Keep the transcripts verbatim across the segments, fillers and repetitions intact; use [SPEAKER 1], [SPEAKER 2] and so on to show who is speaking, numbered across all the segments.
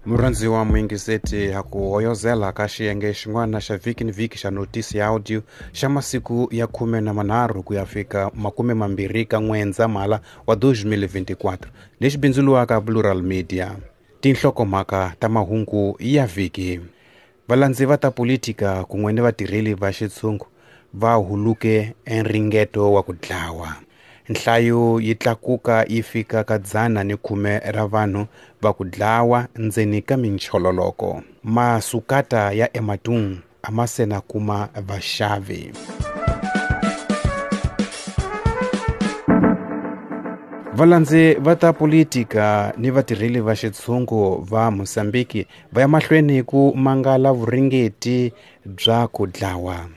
[SPEAKER 1] Murhandziwa muyingiseti ha ku hoyozela ka xiyenge xin'wana xa vhiki ni vhiki xa notisi ya audio xa masiku ya khume na manharhu ku ya fika makume mambirhi ka N'wendzamhala wa twenty twenty-four lexi bindzuriwaka Plural Media. Tinhlokomhaka ta mahungu ya vhiki. Valandzi va ta politika kun'we ni vatirheli va xitshungu va huluke enringeto wa ku dlawa. Nhlayo yi tlakuka yi fika ka dzana ni khume ra vanhu va ku dlawa ndzeni ka minchololoko. Masukata ya Ematung a ma se na kuma vaxavi. Valandzi va ta politika ni vatirheli va xitshungu va Mozambiki va ya mahlweni ku mangala vuringeti bya ku dlawa.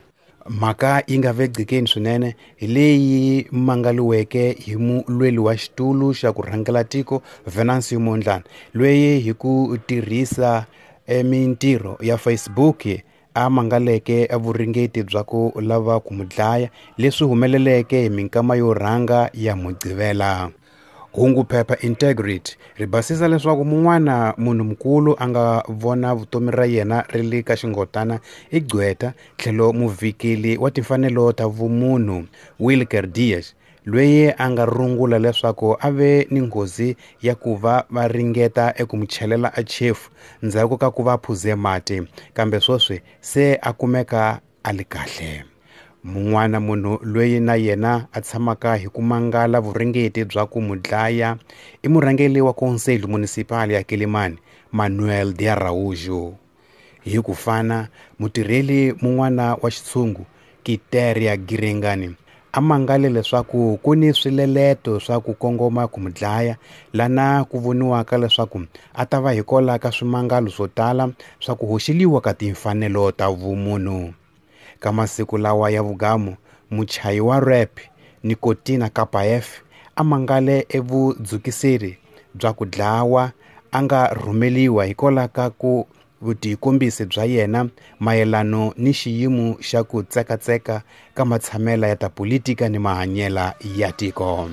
[SPEAKER 1] Mhaka yi nga vegcikeni swinene hi leyi mangaliweke hi mulweli wa xitulu xa ku rhangela tiko Venancio Mondlane, loyi hi ku tirhisa mintirho ya Facebook a mangaleke vuringeti bya ku lava ku mu dlaya, leswi humeleleke hi minkama yo rhanga ya Mugqivela. Hungu phepha Integrity ri basisa leswaku mun'wana munhu mukulu a nga vona vutomi ra yena ri le ka xingotana i gqweta tlhelo muvhikeli wa timfanelo ta vumunhu Wilker Dias, loyi a nga rungula leswaku a ve ni nghozi ya ku va va ringeta eku mu chelela a chefu ndzhaku ka ku va phuze mati, kambe sweswi se a kumeka a li kahle. Mun'wana munhu loyi na yena a tshamaka hi ku mangala vuringeti bya ku mu dlaya i murhangeri wa Conselho Municipal ya Quelimane, Manuel de Araújo. Hi ku fana, mutirheli mun'wana wa xitshungu Kiteria Giringani a mangale leswaku ku ni swileleto swa ku kongoma ku mu dlaya, lana ku voniwaka leswaku a ta va hikola ka swimangalo swo tala swa ku hoxeliwa ka timfanelo ta vumunhu. Ka masiku lawa ya vugamu, muchayi wa rap Nicotina Kapaef a mangale evudzukiseri bya ku dlawa a nga rhumeliwa hikwalaho ka ku vutikombisi bya yena mayelano ni xiyimo xa ku tsekatseka ka matshamela ya ta politika ni mahanyela ya tiko.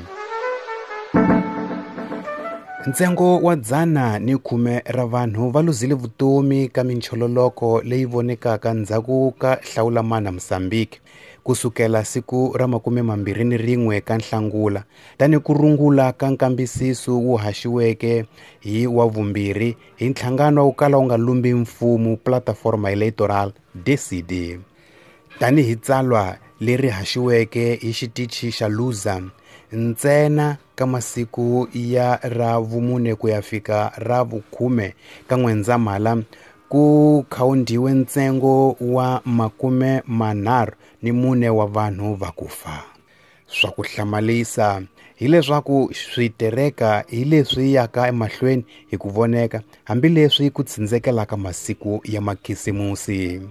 [SPEAKER 1] Ntsengo wa dzana ni khume ra vanhu va luzile vutomi ka minchololoko leyi vonekaka ndzhaku ka hlawulamana Mozambique kusukela siku ra makume mambirhi ni rin'we ka Nhlangula, tani ku rungula ka nkambisiso wu haxiweke hi wa vumbirhi hi nhlangano wo kala wu nga lumbi mfumo Plataforma Electoral D C D. Tani hi tsalwa leri haxiweke hi xitichi xa Luza ntsena ka masiku ya ra vumune ku ya fika ra vukhume ka N'wendzamhala ku khawundiwe ntsengo wa makume manharhu ni mune wa vanhu va ku fa. Swa ku hlamalisa hileswaku switereka hi leswi yaka emahlweni hi ku voneka hambileswi ku tsindzekelaka masiku ya makhisimusi.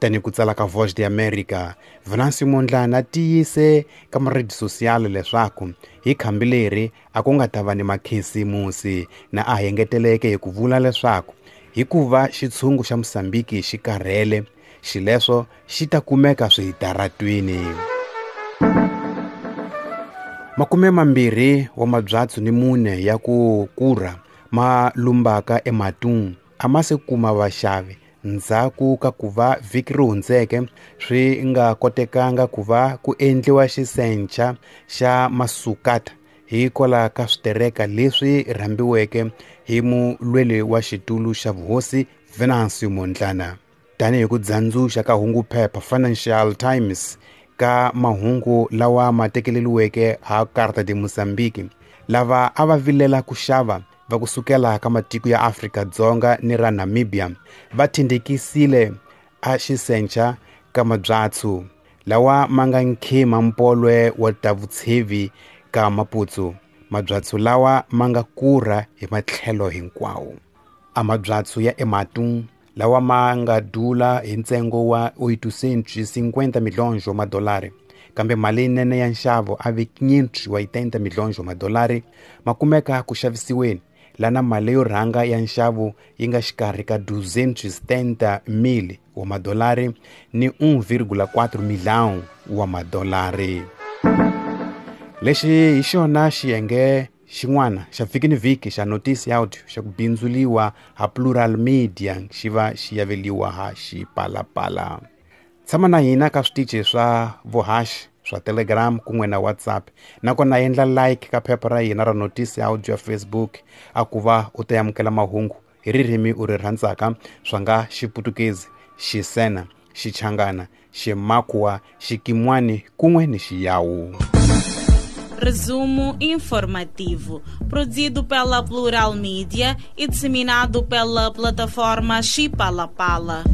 [SPEAKER 1] Tani ku tsala ka Voz de America, Venancio Mondlane a tiyise ka maredi social leswaku hi khambi leri a ku nga ta va ni makhisimusi, na a engeteleke hi ku vula leswaku hikuva xitshungu xa Mozambiki xi karhele, xileswo xi ta kumeka switaratwini. Makume mambirhi wa mabyatsu ni mune ya ku kurha ma lumbaka eMatung a ma se kuma vaxavi ndzhaku ka ku va vhiki ri hundzeke swi nga kotekanga ku va ku endliwa xisencha xa masukata hikwalaho ka switereka leswi rhambiweke hi mulweli wa xitulu xa vuhosi Venancio Mondlane. Tanihi ku dzandzuxa ka hungu phepha Financial Times ka mahungu lawa ma tekeleriweke ha Carta de Mozambique, lava a va vilela ku xava va kusukela ka matiko ya Afrika-Dzonga ni ra Namibia va tindekisile a xisencha ka mabyatsu lawa ma nga nkhima mpolwe wa ta vutshevi ka Maputo, mabyatsu lawa ma nga kurha hi matlhelo hinkwawo. A mabyatsu ya Ematung lawa ma nga dula hi ntsengo wa oitocentos cinquenta milhões wa madolari, kambe mali yinene ya nxavo a ve quinhentos e oitenta milhões wa madolari, ma kumeka ku xavisiweni lana mali yo rhanga ya nxavo yi nga xikarhi ka duzentos e setenta mil wa madolari ni um vírgula quatro milhão wa madolari. Lexi hi xona xiyenge Xin'wana xa vhiki ni vhiki xa Notice Audio xa ku bindzuliwa ha Plural Media xi va xi yaveliwa ha Xipalapala. Tshama na hina ka switichi swa vuhaxi swa Telegram kun'we na WhatsApp, nakona endla like ka phepha ra hina ra Notice Audio ya Facebook a ku va u ta amukela mahungu hi ririmi u ri rhandzaka, swa nga Xiputukezi, Xisena, Xichangana, Ximakhuwa, Xikimwani kun'we ni Xiyawu.
[SPEAKER 2] Resumo informativo, produzido pela Plural Mídia e disseminado pela plataforma Xipalapala.